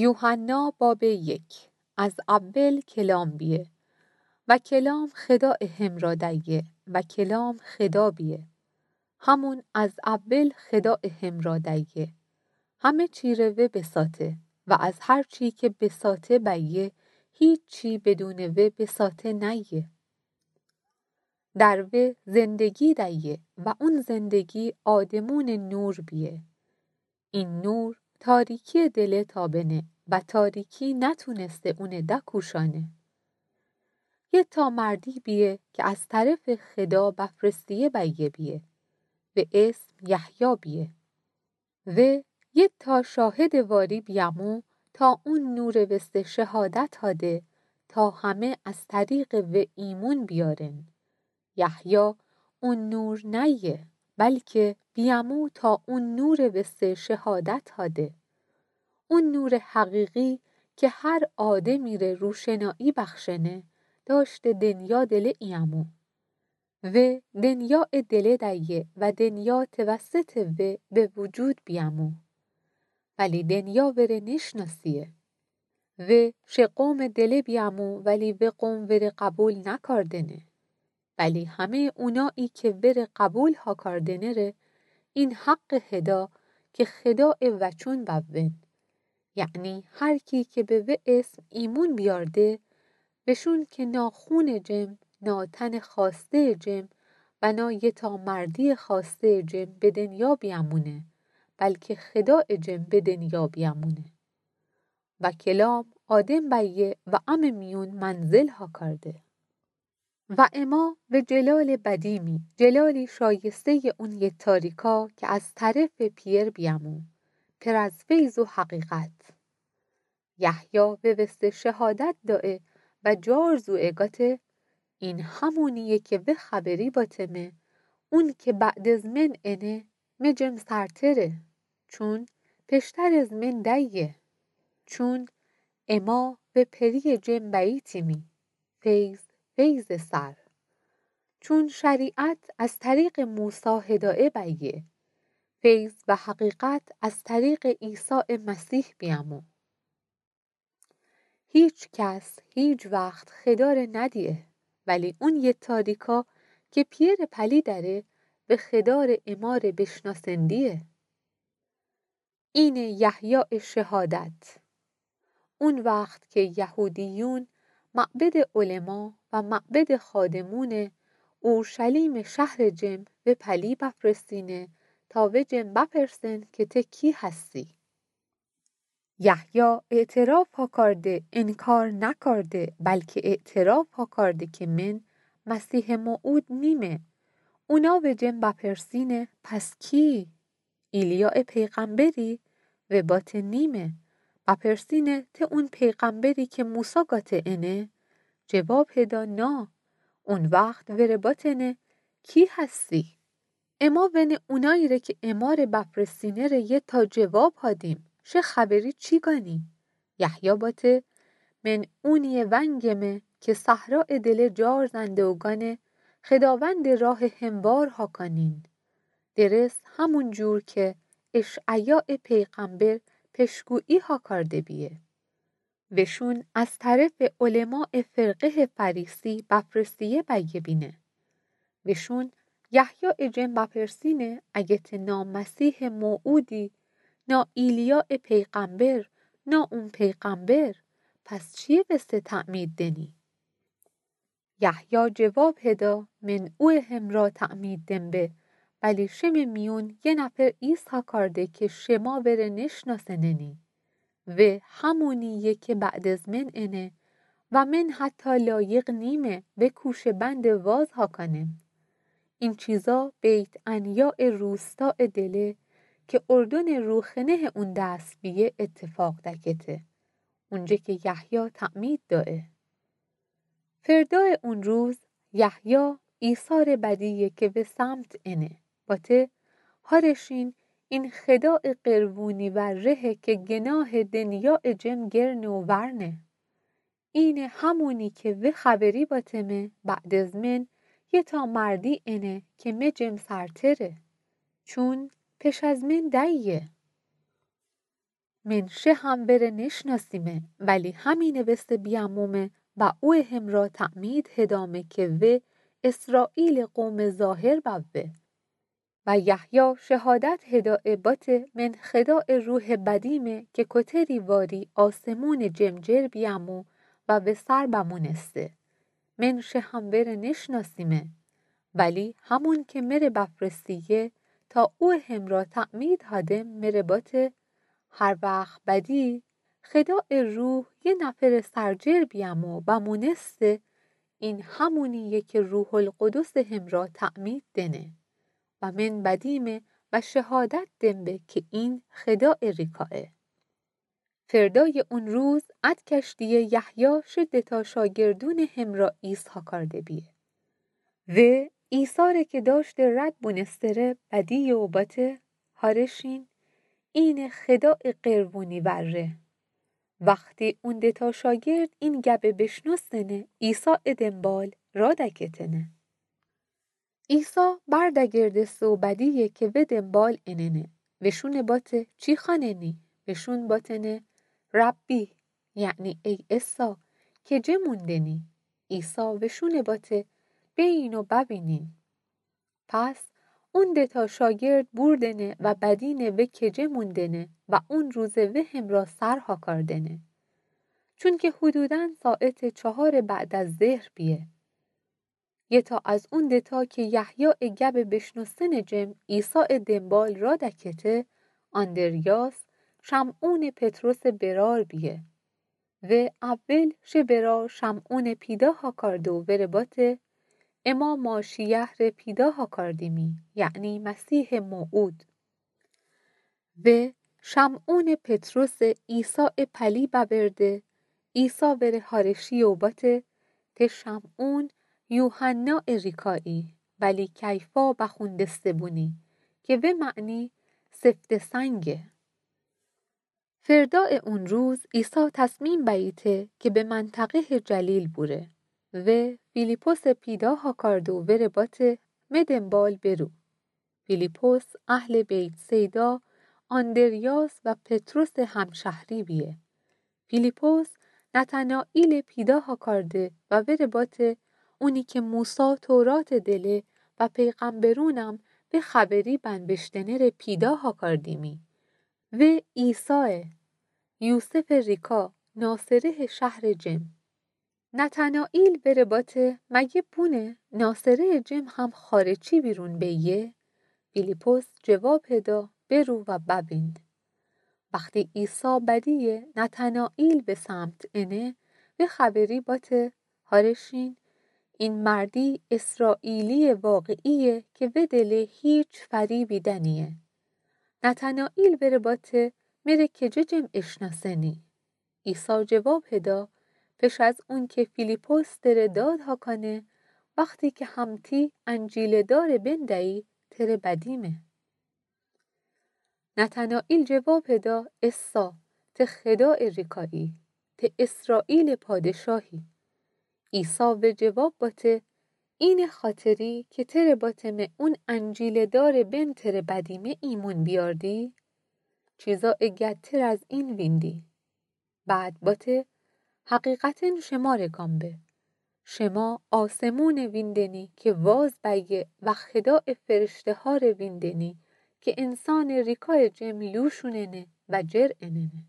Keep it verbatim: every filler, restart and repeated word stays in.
یوحنا بابٚ یک. از اول کلام بیه و کلام خداء همرا دأیه و کلام خدا بیه. همون از اول خداء همرا دأیه. همه چی ره وی بساطه و از هر چی که بساطه بأیه، هیچی بدونٚ وی بساطه نأیه. در وی زندگی دأیه و اون زندگی آدمونٚ نور بیه. این نور تاریکیٚ دله تابنه و تاریکی نتونسته اونه دکوشأنه. یه تا مردی بیه که از طرفٚ خدا بفرستیه بأیه بیه و اسم یحیی بیه. و یه تا شاهدٚ واری بیأمو تا اون نورٚ وسته شهادت هاده تا همه از طریقٚ وی ایمون بیارن. یحیی اون نور نأیه، بلکه بیأمو تا اون نورٚ وسته شهادت هاده. اون نورٚ حقیقی که هر آدمی ره روشنایی بخشنه، داشته دنیا دله ایأمو. و دنیایٚ دله دأیه و دنیا توسطٚ وی به وجود بیأمو. ولی دنیا وره نشناسیه. و شه قومٚ دله بیأمو ولی وی قوم وره قبول نکاردنه. ولی همه‌یٚ اونایی که وره قبول هاکاردنه ره این حقٚ هدا که خدایٚ وچون بوون. یعنی هر کی که به وی اسم ایمون بیارده، وشون که نا خونٚ جم، نا تنٚ خواسته‌یٚ جم و نا یه تا مردیٚ خواسته‌یٚ جم به دنیا بیأمونه، بلکه خدایٚ جم به دنیا بیأمونه. و کلام آدم بأیه و امه میون منزل هاکارده. و اما وی جلالٚ بدیمی، جلالی شایسته‌یٚ اون یه تاریکا که از طرفٚ پئر بیأمو، پر از فیض و حقیقت. یحیی وی وسته شهادت دأه و جار زوئه گاته، این همونییه که وی خبری باتمه، اون که بعد از من انه، مه جم سرتره، چون پشتر از من دأیه. چون اما وی پرییٚ جم بأییتیمی، فیض فیضٚ سر. چون شریعت از طریقٚ موسی هدایه بأیه، فیض و حقیقت از طریقٚ عیسی مسیح بیأمو. هیچ کس هیچ وخت خدا ره ندیه، ولی اون یه تاریکا که پئرٚ پلی دأره، وی خدا ره اما ره بشناسندیه. اینه یحیایٚ شهادت. اون وخت که یهودیون معبدٚ علما و معبدٚ خادمون اورشلیمٚ شهرٚ جم وی پلی بفرستینه تا وی جم بپرسن که ته کی هستی؟ یحیی اعتراف هاکارده، انکار نکارده، بلکه اعتراف هاکارده که من مسیحٚ موعود نیمه. اونا وی جم بپرسینه، پس کی؟ ایلیایٚ پیغمبری؟ وی باته نیمه. بپرسینه، ته اون پیغمبری که موسی گاته انه؟ جواب هدا، نا. اون وخت وره باتنه، کی هستی؟ اما ونه اونایی ره که اما ره بپرسینه ره یه تا جواب هادیم، شه خبری چی گانی؟ یحیی باته، من اونییٚ ونگمه که صحرایٚ دله جار زنده و گانه، خداوندٚ راه هموار هاکانین. درست همون جور که اشعیایٚ پیغمبر پشگویی هاکارده بیه. وشون از طرفٚ علمایٚ فرقهٚ فریسی بپرسیه بیه بینه. وشون یحیایٚ جم بپرسینه، اگه ته نا مسیحٚ موعودی، نا ایلیایٚ پیغمبر، نا اون پیغمبر، پس چییٚ وسته تعمید دنی؟ یحیی جواب هدا، من اویه همرا تعمید دم به، ولی شمه میون یه نفر ایسا کارده که شما وره نشناسننی. و همونییه که بعد از من انه و من حتی لایق نیمه و کوشه بند واز هاکانم. این چیزا بیت عنیایٚ روستایٚ دله که اردنٚ روخنهٚ اون دس بیه اتفاق دکته. اونجه که یحیی تعمید دایه. فردایٚ اون روز یحیی عیسی ره بدیه که به سمت انه. باته، هارشین، این خدایٚ قربونی ورهه که گناهٚ دنیایٚ جم گرنه و ورنه. اینه همونی که وی خبری باتمه، بعد از من یه تا مردی انه که مه جم سرتره. چون پش از من دأیه. من شه هم وره نشناسیمه، ولی همینٚ وسه بیأمومه و اویه همرأ تعمید هدأمه که وی اسرائیلٚ قومٚ ظاهر بأوه. و یحیی شهادت هدأیه بأته من خدایٚ روحٚ بدیمه که کوتری واری آسمونٚ جمجر بیأمو و وه سر بمونسته. من شه هم وره نشناسیمه، ولی همون که مره بفرستیه تا اویه همرأ تعمید هادم مره بأته، هر وخت بدی خدایٚ روح یه نفرٚ سر جر بیأمو بمونسته، این همونییه که روح‌القدسٚ همرأ تعمید دأنه. و من بدیمه و شهادت دم به که این خدایٚ ریکایه. فردایٚ اون روز اد کشتییه یحیی شه دتا شاگردونٚ همرأ ایسا کارده بیه. وی عیسی ره که دأشته رد بونستره بدییه و بأته، هارشین، اینه خدایٚ قروونی وره. وختی اون دتا شاگرد این گبه بشنوستنه، عیسایٚ دنبال رادکتنه. عیسی بردگردسته و بدییه که وی دنبال اننه. وشونه بأته، چی خوأننی؟ وشون بأتنه، ربی، یعنی ای عیسی، کجه موندنی؟ عیسی وشونه بأته، بئین و ببینین. پس اون دتا شاگرد بوردنه و بدینه وی کجه موندنه و اون روزه وی همرأ سر هاکاردنه. چونکه حدوداً ساعتٚ چهارٚ بعد از ظهر بیه. یه تا از اون دتا که یحیایٚ گبه بشنوستنٚ جم عیسایٚ دنبال رادکته، آندریاس، شمعونٚ پطرسٚ برأر بیه. وی اول شه برأر شمعونٚ پیدا هاکارده و وره بأته، اما ماشییه ره پیدا هاکاردیمی، یعنی مسیحٚ موعود. وی شمعونٚ پطرسٚ عیسایٚ پلی بأورده، عیسی وره هارشییه و بأته، ته شمعون یوحنایٚ ریکایی، ولی کیفا بخوندسته بونی، که وی معنی سفته‌سنگه. فردایٚ اون روز عیسی تصمیم بأییته که به منطقه‌یٚ جلیل بوره. وی فیلیپسه پیدا هاکارده و وره بأته، مه دنبال برو. فیلیپس اهلٚ بیت‌صیدا، آندریاس و پطرسٚ همشهری بیه. فیلیپس نتنائیله پیدا هاکارده و وره بأته، اونی که موسی توراتٚ دله و پیغمبرونم وی خبری بنوشتنه ره پیدا هاکاردیمی. وی عیسایه، یوسفٚ ریکا، ناصرهٚ شهرٚ جم. نتنائیل وره بأته، مگه بونه ناصرهٚ جم هم خارچی بیرون بأیه؟ فیلیپس جواب هدا، برو و ببین. وختی عیسی بدییه نتنائیل به سمت انه، وی خبری بأته، هارشین، این مردی اسرائیلییٚ واقعییه که وی دله هیچ فریبی دأنییه. نتنائیل وره بأته، مره کجه جم اشنأسنی؟ عیسی جواب هدا، پش از اونکه فیلیپس تره داد هاکانه، وختی که همتی انجیلٚ دارٚ بن دأیی، تره بدیمه. نتنائیل جواب هدا، عیسی، ته خدایٚ ریکایی، ته اسرائیلٚ پادشاهی. عیسی وه جواب بأته، اینه خاطری که تره بأتمه اون انجیلٚ دارٚ بن تره بدیمه ایمون بیاردی؟ چیزایٚ گدتر از این ویندی. بعد بأته، حقیقتاً شمره گم به، شما آسمونه ویندنی که واز بأیه و خدایٚ فرشته‌هاره ویندنی که انسانٚ ریکایٚ جم لوشوننه و جر اننه.